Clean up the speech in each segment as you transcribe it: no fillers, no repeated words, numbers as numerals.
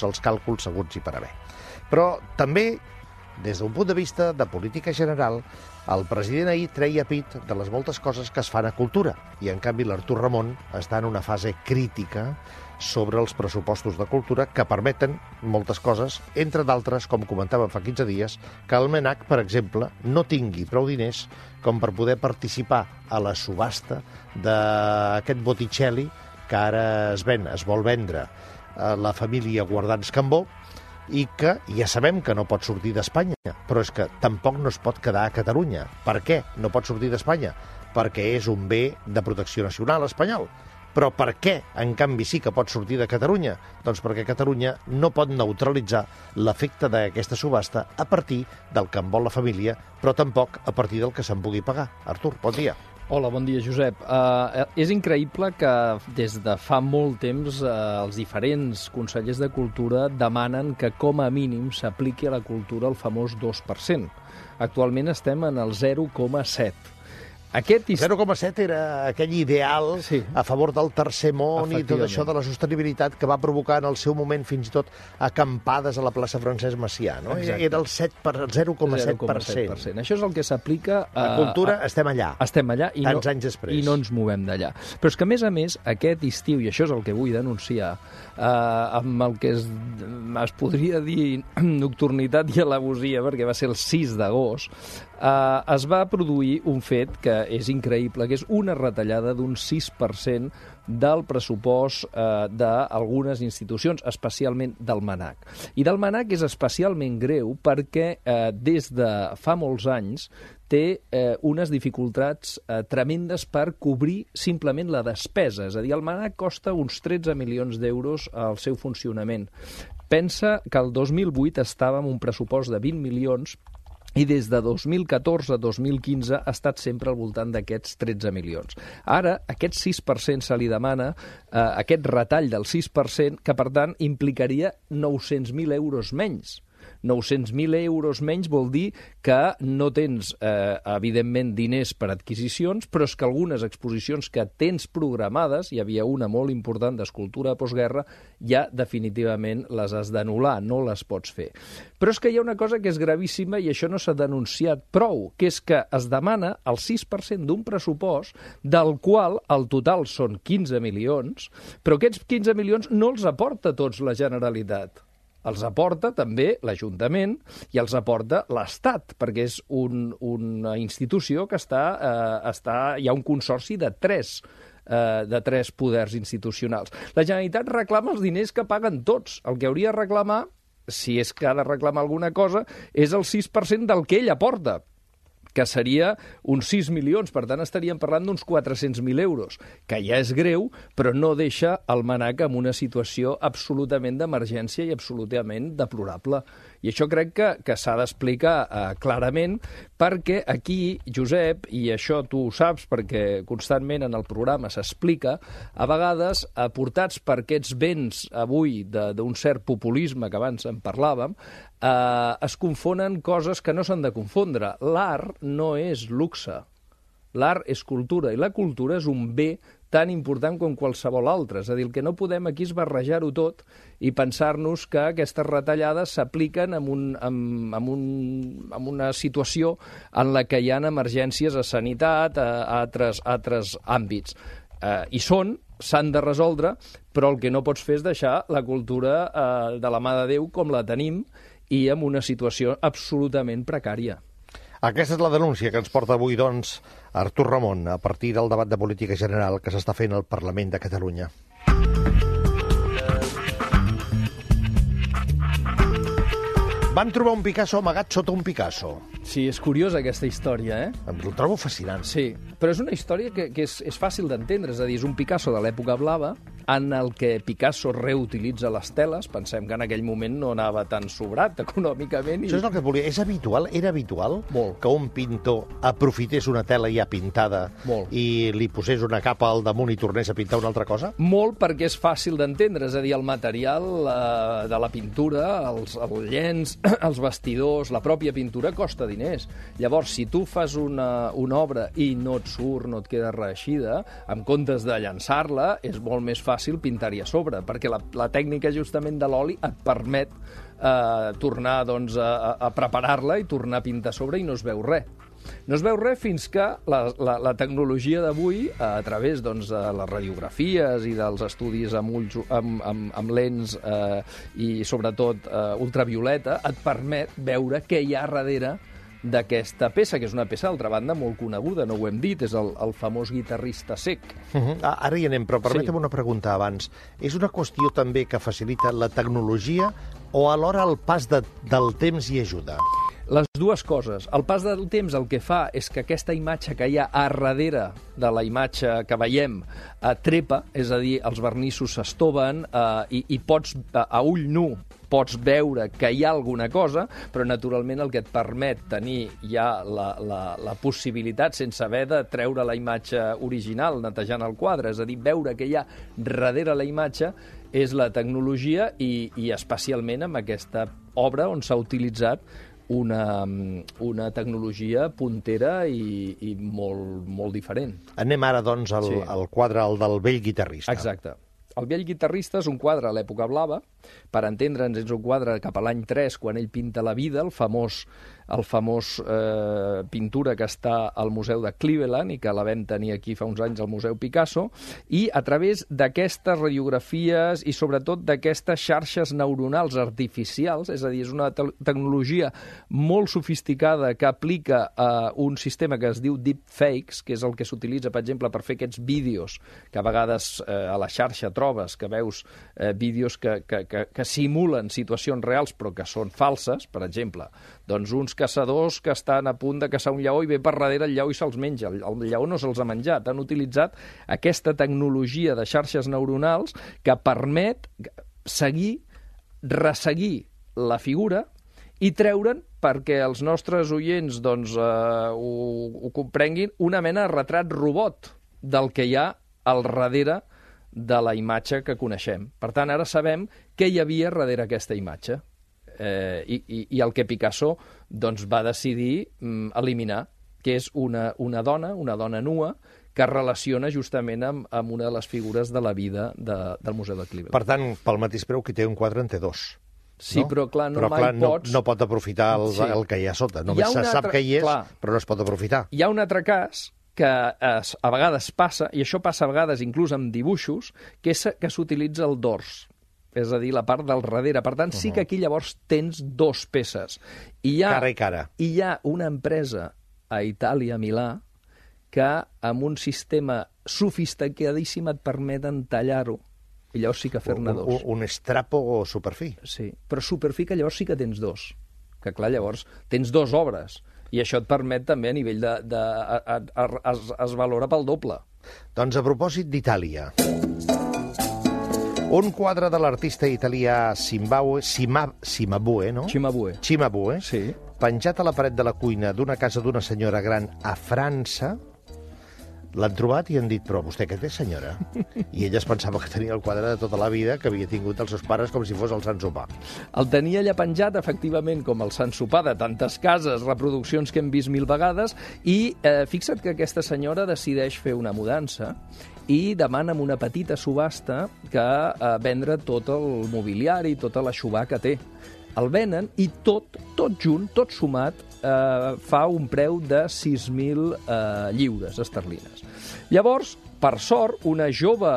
els càlculs seguts i per haver. Però també, des d'un punt de vista de política general, el president ahir treia pit de les moltes coses que es fan a cultura, i en canvi l'Artur Ramon està en una fase crítica sobre els pressupostos de cultura que permeten moltes coses, entre d'altres, com comentàvem fa 15 dies, que el MNAC, per exemple, no tingui prou diners com per poder participar a la subhasta d'aquest Botticelli que ara es vol vendre a la família Guardans Cambó, i que ja sabem que no pot sortir d'Espanya, però és que tampoc no es pot quedar a Catalunya. Per què no pot sortir d'Espanya? Perquè és un bé de protecció nacional espanyol. Però per què, en canvi, sí que pot sortir de Catalunya? Doncs perquè Catalunya no pot neutralitzar l'efecte d'aquesta subhasta a partir del que en vol la família, però tampoc a partir del que se'n pugui pagar. Artur, bon dia. Hola, bon dia, Josep. És increïble que des de fa molt temps els diferents consellers de Cultura demanen que com a mínim s'apliqui a la cultura el famós 2%. Actualment estem en el 0,7%. 0,7 era aquell ideal a favor del tercer món i tot això de la sostenibilitat que va provocar en el seu moment fins i tot acampades a la plaça Francesc Macià, no? Era el 0,7%. Això és el que s'aplica a cultura. Estem allà. Estem allà i tants anys després. I no ens movem d'allà. Però és que, a més, aquest estiu, i això és el que vull denunciar, amb el que es podria dir nocturnitat i alevosia, perquè va ser el 6 d'agost, es va produir un fet que és increïble, que és una retallada d'un 6% del pressupost d'algunes institucions, especialment del MNAC. I del MNAC és especialment greu perquè des de fa molts anys té unes dificultats tremendes per cobrir simplement la despesa. És a dir, el MNAC costa uns 13 milions d'euros al seu funcionament. Pensa que el 2008 estava amb un pressupost de 20 milions i des de 2014 a 2015 ha estat sempre al voltant d'aquests 13 milions. Ara, aquest 6% se li demana, aquest retall del 6%, que per tant implicaria 900.000 euros menys. 900.000 euros menys vol dir que no tens, evidentment, diners per adquisicions, però és que algunes exposicions que tens programades, hi havia una molt important d'escultura de postguerra, ja definitivament les has d'anul·lar, no les pots fer. Però és que hi ha una cosa que és gravíssima i això no s'ha denunciat prou, que és que es demana el 6% d'un pressupost del qual el total són 15 milions, però aquests 15 milions no els aporta tots la Generalitat. Els aporta també l'Ajuntament i els aporta l'Estat, perquè és una institució que hi ha un consorci de tres poders institucionals. La Generalitat reclama els diners que paguen tots. El que hauria de reclamar, si és que ha de reclamar alguna cosa, és el 6% del que ell aporta, que seria uns 6 milions, per tant estaríem parlant d'uns 400.000 euros, que ja és greu, però no deixa el MNAC en una situació absolutament d'emergència i absolutament deplorable. I això crec que s'ha d'explicar clarament, perquè aquí, Josep, i això tu ho saps perquè constantment en el programa s'explica, a vegades, portats per aquests vents avui d'un cert populisme que abans en parlàvem, es confonen coses que no s'han de confondre. L'art no és luxe. L'art és cultura, i la cultura és un bé tan important com qualsevol altre. És a dir, el que no podem aquí és barrejar-ho tot i pensar-nos que aquestes retallades s'apliquen en una situació en la que hi ha emergències a sanitat, a altres àmbits. I s'han de resoldre, però el que no pots fer és deixar la cultura de la mà de Déu com la tenim i en una situació absolutament precària. Aquesta és la denúncia que ens porta avui, doncs, Artur Ramon, a partir del debat de política general que s'està fent al Parlament de Catalunya. Van trobar un Picasso amagat sota un Picasso. Sí, és curiosa aquesta història, eh? Em trobo fascinant. Sí, però és una història que és fàcil d'entendre, és a dir, és un Picasso de l'època blava, en el que Picasso reutilitza les teles. Pensem que en aquell moment no anava tan sobrat econòmicament. Això és el que et volia. Era habitual que un pintor aprofités una tela ja pintada i li posés una capa al damunt i tornés a pintar una altra cosa? Molt, perquè és fàcil d'entendre. És a dir, el material de la pintura, el llenç, els bastidors, la pròpia pintura costa diners. diners. Llavors, si tu fas una obra i no et surt, no et queda reeixida, en comptes de llançar-la, és molt més fàcil pintar-hi a sobre, perquè la tècnica justament de l'oli et permet tornar doncs, a preparar-la i tornar a pintar a sobre i no es veu res. No es veu res fins que la tecnologia d'avui, a través doncs, de les radiografies i dels estudis amb lents i sobretot ultravioleta, et permet veure què hi ha darrere d'aquesta peça, que és una peça, d'altra banda, molt coneguda, no ho hem dit, és el famós guitarrista Cec. Ara hi anem, però permetem una pregunta abans. És una qüestió també que facilita la tecnologia o alhora el pas del temps hi ajuda? Les dues coses. El pas del temps el que fa és que aquesta imatge que hi ha a darrere de la imatge que veiem trepa, és a dir, els vernissos s'estoven i pots, a ull nu, pots veure que hi ha alguna cosa, però naturalment el que et permet tenir ja la possibilitat, sense haver de treure la imatge original, netejant el quadre, és a dir, veure que hi ha darrere la imatge, és la tecnologia i especialment amb aquesta obra on s'ha utilitzat una tecnologia puntera i molt diferent. Anem ara, doncs, al quadre, el del vell guitarrista. Exacte. El vell guitarrista és un quadre a l'època blava. Per entendre'ns, és un quadre cap a l'any 3, quan ell pinta la vida, el famós pintura que està al Museu de Cleveland i que la vam tenir aquí fa uns anys al Museu Picasso, i a través d'aquestes radiografies i sobretot d'aquestes xarxes neuronals artificials, és a dir, és una tecnologia molt sofisticada que aplica un sistema que es diu deepfakes, que és el que s'utilitza, per exemple, per fer aquests vídeos que a vegades a la xarxa trobes, que veus vídeos que simulen situacions reals però que són falses, per exemple, doncs uns caçadors que estan a punt de caçar un lleó i ve per darrere el lleó i se'ls menja. El lleó no se'ls ha menjat. Han utilitzat aquesta tecnologia de xarxes neuronals que permet resseguir la figura i treure'n, perquè els nostres oients doncs, ho comprenguin, una mena de retrat robot del que hi ha al darrere de la imatge que coneixem. Per tant, ara sabem què hi havia darrere aquesta imatge. I el que Picasso doncs, va decidir eliminar, que és una dona nua, que es relaciona justament amb una de les figures de la vida del Museu de Cleveland. Per tant, pel mateix preu, qui té un quadre en té dos. Sí, no? Però clar, pots... no pot aprofitar el que hi ha sota. Només se sap que hi és, però no es pot aprofitar. Hi ha un altre cas que a vegades passa, i això passa a vegades inclús amb dibuixos, que és que s'utilitza el dors, és a dir, la part del darrere. Per tant, sí que aquí llavors tens dos peces. Cara i cara. I hi ha una empresa a Itàlia, a Milà, que amb un sistema sofisticadíssim et permeten tallar-ho. I llavors sí que fer-ne dos. Un estrapo o superfi. Sí, però superfi que llavors sí que tens dos. Que clar, llavors tens dos obres. I això et permet també a nivell es valora pel doble. Doncs a propòsit d'Itàlia... Un quadre de l'artista italià Cimabue, no? Cimabue, sí. Penjat a la paret de la cuina d'una casa d'una senyora gran a França, l'han trobat i han dit, però vostè què té, senyora? I ella es pensava que tenia el quadre de tota la vida que havia tingut els seus pares com si fos el Sant Sopar. El tenia allà penjat, efectivament, com el Sant Sopar de tantes cases, reproduccions que hem vist 1000 vegades, i fixa't que aquesta senyora decideix fer una mudança i demana amb una petita subhasta que vendre tot el mobiliari, tota l'aixovar que té. El venen i tot junt, tot sumat, fa un preu de 6.000 lliures esterlines. Llavors, per sort, una jove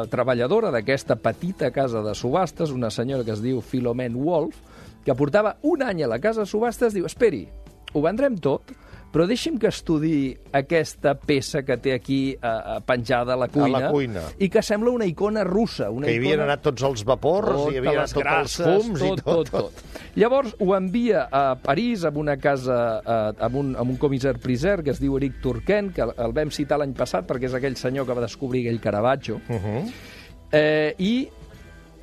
treballadora d'aquesta petita casa de subhastes, una senyora que es diu Philomene Wolf, que portava un any a la casa de subhastes, diu, esperi, ho vendrem tot, però deixi'm que estudiï aquesta peça que té aquí penjada a la cuina. I que sembla una icona russa. Que hi havien anat tots els vapors, hi havia anat tots els fums i tot. Llavors ho envia a París, amb una casa, amb un comissar-priseur que es diu Eric Turquin, que el vam citar l'any passat perquè és aquell senyor que va descobrir aquell Caravaggio. I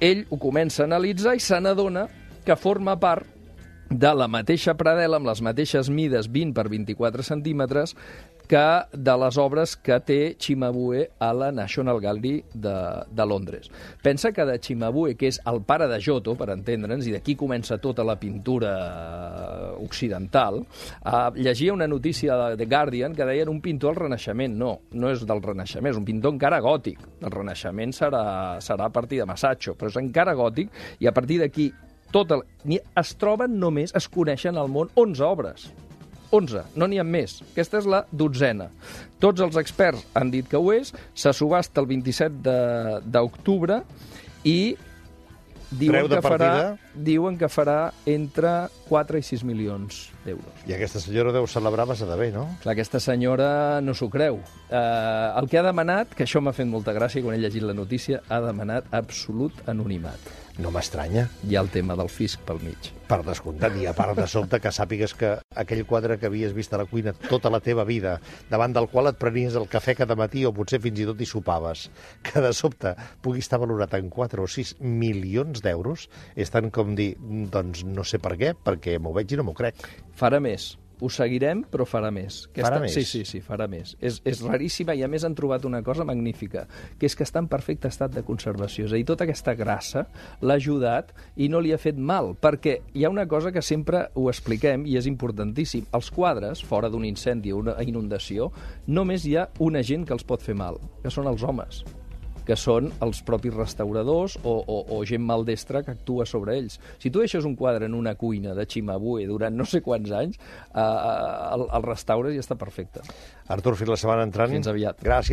ell ho comença a analitzar i se n'adona que forma part de la mateixa predel·la, amb les mateixes mides, 20 per 24 centímetres, de les obres que té Cimabue a la National Gallery de Londres. Pensa que de Cimabue, que és el pare de Giotto, per entendre'ns, i d'aquí comença tota la pintura occidental, llegia una notícia de The Guardian que deien un pintor del Renaixement. No és del Renaixement, és un pintor encara gòtic. El Renaixement serà a partir de Masaccio, però és encara gòtic, i a partir d'aquí es troben només, es coneixen al món 11 obres. 11, no n'hi ha més. Aquesta és la 12a. Tots els experts han dit que ho és, se subhasta el 27 d'octubre i diuen que farà entre 4 i 6 milions d'euros. I aquesta senyora deu celebrar massa de bé, no? Clar, aquesta senyora no s'ho creu. El que ha demanat, que això m'ha fet molta gràcia quan he llegit la notícia, ha demanat absolut anonimat. No m'estranya. Hi ha el tema del fisc pel mig. Per descomptat, i a part de sobte que sàpigues que aquell quadre que havies vist a la cuina tota la teva vida, davant del qual et prenies el cafè cada matí o potser fins i tot hi sopaves, que de sobte pugui estar valorat en 4 o 6 milions d'euros, és tant com dir, doncs no sé per què, perquè m'ho veig i no m'ho crec. Farà més. Ho seguirem, però farà més. Farà més? Sí, farà més. És raríssima i, a més, han trobat una cosa magnífica, que és que està en perfecte estat de conservació. És a dir, tota aquesta grassa l'ha ajudat i no li ha fet mal, perquè hi ha una cosa que sempre ho expliquem i és importantíssim. Els quadres, fora d'un incendi o una inundació, només hi ha una gent que els pot fer mal, que són els homes, que són els propis restauradors o gent maldestra que actua sobre ells. Si tu deixes un quadre en una cuina de Cimabue durant no sé quants anys, el restaures i està perfecte. Artur, fins la setmana entrant. Fins aviat. Gràcies.